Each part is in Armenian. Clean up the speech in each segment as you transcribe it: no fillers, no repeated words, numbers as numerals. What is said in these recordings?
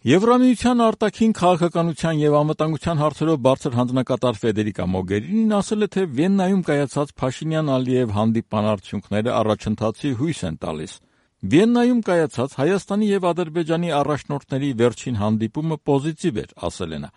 Եվրամիության արտաքին քաղաքականության եւ անվտանգության հարցերով բարձր հանձնակատար Ֆեդերիկա Մոգերինին ասել է, թե Վիեննայում կայացած Փաշինյան-Ալիև հանդիպման արդյունքները առաջընթացի հույս են տալիս։ Վիեննայում կայացած Հայաստանի եւ Ադրբեջանի առաջնորդների վերջին հանդիպումը պոզիտիվ էր, ասել է նա։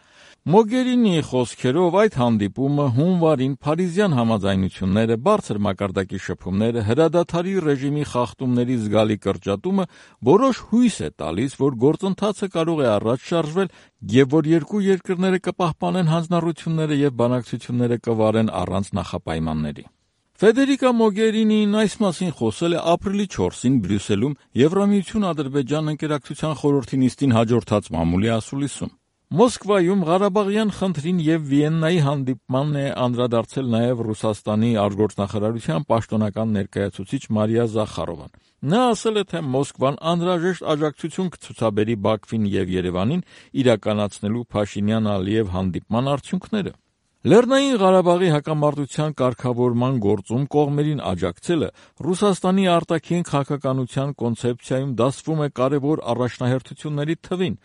Մոգերինիի խոսքերով այդ հանդիպումը հունվարին Փարիզյան համաձայնությունները, բարձր մակարդակի շփումները, հրադադարի ռեժիմի խախտումների զգալի կրճատումը որոշ հույս է տալիս, որ գործընթացը կարող է առաջ շարժվել եւ որ երկու երկրները կպահպանեն հանձնառությունները եւ բանակցությունները կվարեն առանց նախապայմանների։ Ֆեդերիկա Մոգերինին այս մասին խոսել է ապրիլի 4-ին Բրյուսելում Եվրամիություն-Ադրբեջան ընկերակցության խորհրդի նիստին հաջորդած մամուլի ասուլիսում։ Մոսկվայում Ղարաբաղյան խնդրին եւ Վիեննայի հանդիպմանն է անդրադարձել նաեւ Ռուսաստանի արտգործնախարարության պաշտոնական ներկայացուցիչ Մարիա Զախարովան։ Նա ասել է, թե Մոսկվան անհրաժեշտ աջակցություն կցուցաբերի Բաքվին եւ Երևանին իրականացնելու Փաշինյան-Ալիև հանդիպման արդյունքները։ Լեռնային Ղարաբաղի հակամարտության կարգավորման գործում կողմերին աջակցելը Ռուսաստանի արտաքին քաղաքականության կոնցեպցիայում դասվում է կարևոր առաջնահերթությունների թվին։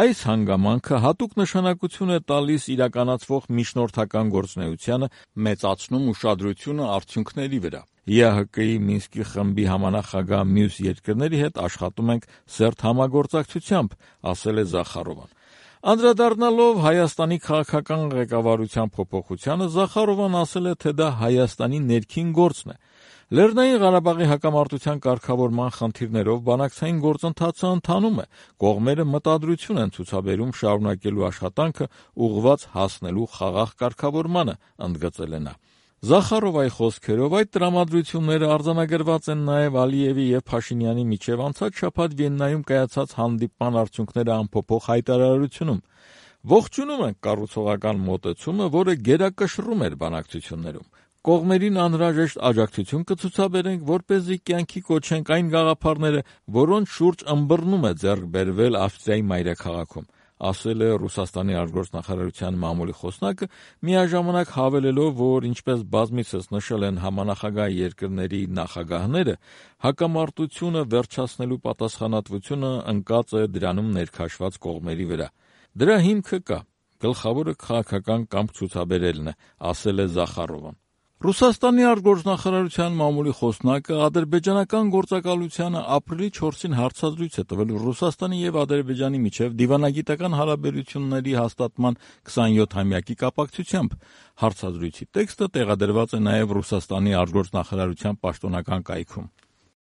Այս հանգամանքը հատուկ նշանակություն է տալիս իրականացվող միջնորդական գործունեությանը, մեծացնում ուշադրությունը արդյունքների վրա։ ԵԱՀԿ-ի Մինսկի խմբի համանախագահ մյուս երկրների հետ աշխատում ենք սերտ համագործակցությամբ, ասել է Զախարովան։ Անդրադառնալով Հայաստանի քաղաքական ղեկավարության փոփոխությանը, Զախարովան ասել է, թե դա Հայաստանի ներքին գործն է։ Լեռնային Ղարաբաղի հակամարտության կարգավորման խնդիրներով բանակցային գործընթացը ընթանում է, կողմերը մտադրություն են ցուցաբերում շարունակելու աշխատանքը ուղղված հասնելու խաղաղ կարգավորմանը, ընդգծել է նա։ Զախարովայի խոսքերով այդ տրամադրությունները արձանագրված են նաև Ալիևի եւ Փաշինյանի միջև անցած շաբաթ Վիեննայում կայացած հանդիպման արդյունքները ամփոփող հայտարարությունում։ Ողջունում ենք կառուցողական մոտեցումը, որը գերակշռում էր բանակցություններում։ Կողմերին անհրաժեշտ աջակցություն կցուցաբերենք, որպեսզի կյանքի կոչենք այն գաղափարները, որոնց շուրջ ըմբռնում է ձեռք բերվել Ավստրիայի մայրաքաղաքում, ասել է Ռուսաստանի արտգործնախարարության մամուլի խոսնակը, միաժամանակ հավելելով, որ ինչպես բազմիցս նշել են համանախագահ երկրների նախագահները, հակամարտությունը վերջացնելու պատասխանատվությունը ընկած է դրանում ներքաշված կողմերի վրա։ Դրա հիմքը կա, գլխավորը քաղաքական կամք ցուցաբերելն է, ասել է Զախարովան։ Ռուսաստանի արտգործնախարարության մամուլի խոսնակը ադրբեջանական գործակալությանը ապրիլի 4-ին հարցազրույց է տվել Ռուսաստանի եւ Ադրբեջանի միջև դիվանագիտական հարաբերությունների հաստատման 27-ամյակի կապակցությամբ։ Հարցազրույցի տեքստը տեղադրված է նաեւ Ռուսաստանի արտգործնախարարության պաշտոնական կայքում։